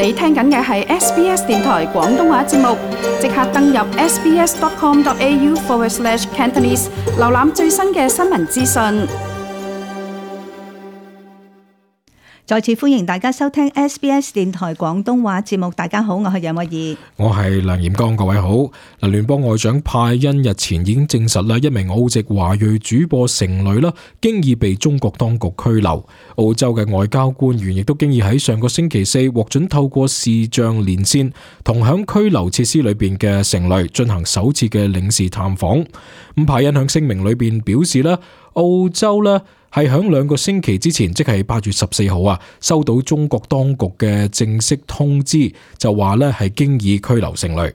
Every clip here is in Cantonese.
你聽緊嘅係 SBS 電台廣東話節目，即刻登入 sbs.com.au/Cantonese 瀏覽最新嘅新聞資訊。再次歡迎大家收聽 SBS 電台廣東話節目。大家好，我係楊慧儀，我係梁彥剛，各位好。嗱，聯邦外長派恩日前已經證實啦，一名澳籍華裔主播成蕾啦，經已被中國當局拘留。澳洲嘅外交官員亦都經已喺上個星期四獲准透過視像連線，同響拘留設施裏邊嘅成蕾進行首次嘅領事探訪。咁派恩響聲明裏邊表示啦，澳洲呢係響2個星期之前，即係8月14號啊，收到中國當局嘅正式通知，就話咧係經已拘留成蕾。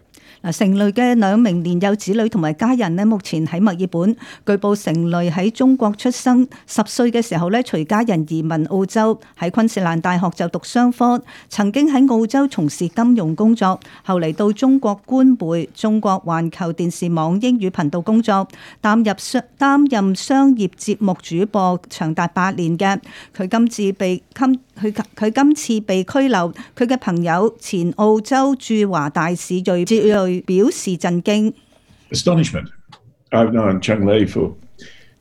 成蕾嘅2名年幼子女同埋家人咧，目前喺墨爾本。據報成蕾喺中國出生，10歲嘅時候咧，隨家人移民澳洲，喺昆士蘭大學就讀商科，曾經喺澳洲從事金融工作，後嚟到中國官媒中國環球電視網英語頻道工作，擔任商業節目主播長達8年嘅。佢今次被拘留，佢嘅朋友前澳洲駐華大使瑞哲瑞表示震驚。Astonishment. I've known Cheng Lei for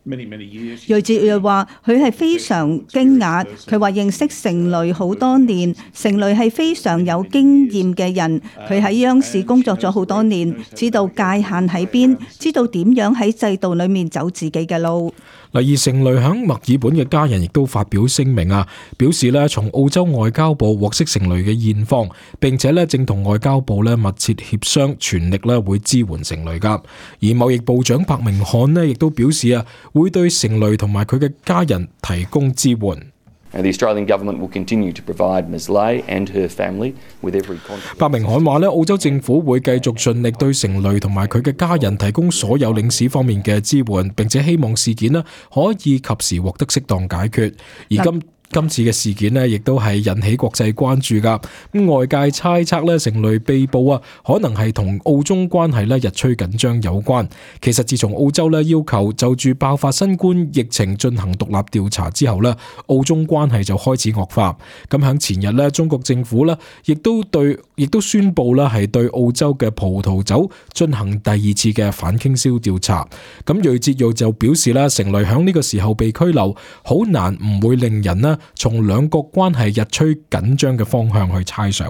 many years. 瑞哲瑞話：佢係非常驚訝。佢話認識成蕾好多年，成蕾係非常有經驗嘅人。佢喺央視工作咗好多年，知道界限喺邊，知道點樣喺制度裏面走自己嘅路。而成蕾響墨爾本嘅家人亦都發表聲明啊，表示咧從澳洲外交部獲悉成蕾嘅現況，並且咧正同外交部咧密切協商，全力咧會支援成蕾噶。而貿易部長白明漢咧亦都表示啊，會對成蕾同埋佢嘅家人提供支援。The Australian government will continue to provide Ms. Lei and her family with every contribution. 白明漢話咧，澳洲政府會繼續盡力對成蕾同埋佢嘅家人提供所有領事方面嘅支援，並且希望事件咧可以及時獲得適當解決。而今次嘅事件呢，亦都係引起國際關注噶。外界猜測咧，成蕾被捕啊，可能係同澳中關係咧日趨緊張有關。其實自從澳洲咧要求就住爆發新冠疫情進行獨立調查之後咧，澳中關係就開始惡化。咁響前日咧，中國政府咧亦都宣布啦，係對澳洲嘅葡萄酒進行第2次嘅反傾銷調查。咁瑞哲瑞就表示啦，成蕾響呢個時候被拘留，好難唔會令人咧從兩國關係日趨緊張嘅方向去猜想。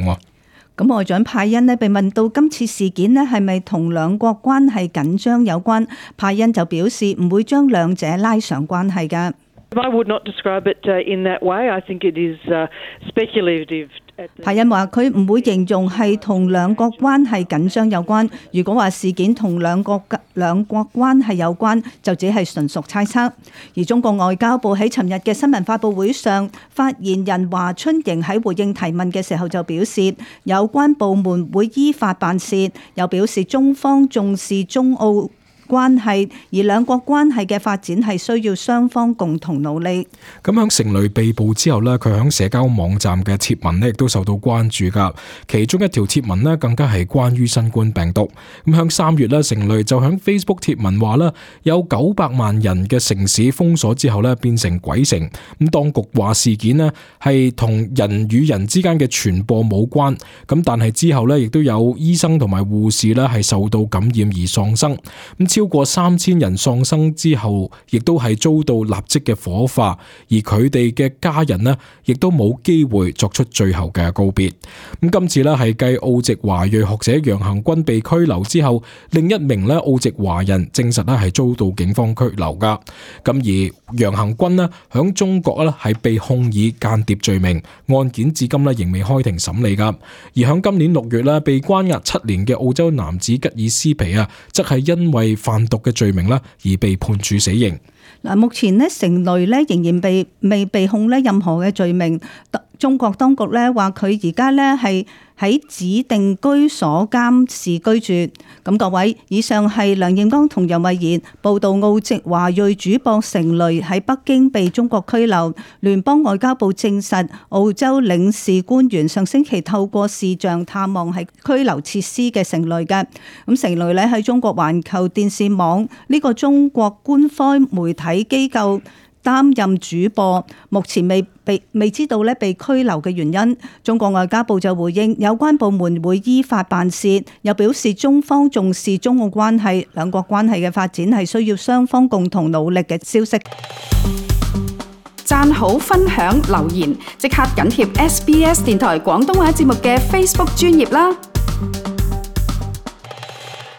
咁外長派恩咧被問到今次事件咧係咪同兩國關係緊張有關，派恩就表示唔會將兩者拉上關係㗎。I would not describe it in that way. I think it is speculative. 派恩話佢唔會形容係同兩國關係緊張有關。如果話事件同兩國關係有關，就只係純屬猜測。而中國外交部喺尋日嘅新聞發佈會上，發言人華春瑩喺回應提問嘅時候就表示，有關部門會依法辦事，又表示中方重視中澳關係，而兩國關係嘅發展係需要雙方共同努力。咁響成蕾被捕之後呢，佢響社交網站嘅貼文呢亦都受到關注噶。其中一條貼文呢更加係關於新冠病毒。咁響3月呢，成蕾就響 Facebook 貼文話啦，有900萬人嘅城市封鎖之後呢變成鬼城。咁當局話事件呢係同人與人之間嘅傳播冇關。咁但係之後呢亦都有醫生同埋護士呢係受到感染而喪生。咁超過3000人喪生之後，亦都係遭到立即嘅火化，而佢哋嘅家人呢，亦都冇機會作出最後嘅告別。咁今次呢，係繼澳籍華裔學者楊恒軍被拘留之後，另一名呢澳籍華人證實呢係遭到警方拘留噶。咁而楊恒軍呢，響中國呢係被控以間諜罪名，案件至今呢仍未開庭審理噶。而響今年6月呢，被關押7年嘅澳洲男子吉爾斯皮啊，則係因為販毒嘅罪名而被判處死刑。目前成蕾仍然未被控任何嘅罪名。中國當局話佢而家係喺指定居所監視居住。咁各位，以上係梁彥剛同楊慧儀報道澳籍華裔主播成蕾喺北京被中國拘留。聯邦外交部證實，澳洲領事官員上星期透過視像探望喺拘留設施嘅成蕾嘅。咁成蕾喺中國環球電視網呢個中國官方媒體機構擔任主播，目前未知道咧被拘留嘅原因。中國外交部就回應有關部門會依法辦事，又表示中方重視中澳關係，兩國關係嘅發展係需要雙方共同努力嘅消息。讚好、分享、留言，即刻緊貼SBS 電台廣東話節目嘅 Facebook 專頁啦！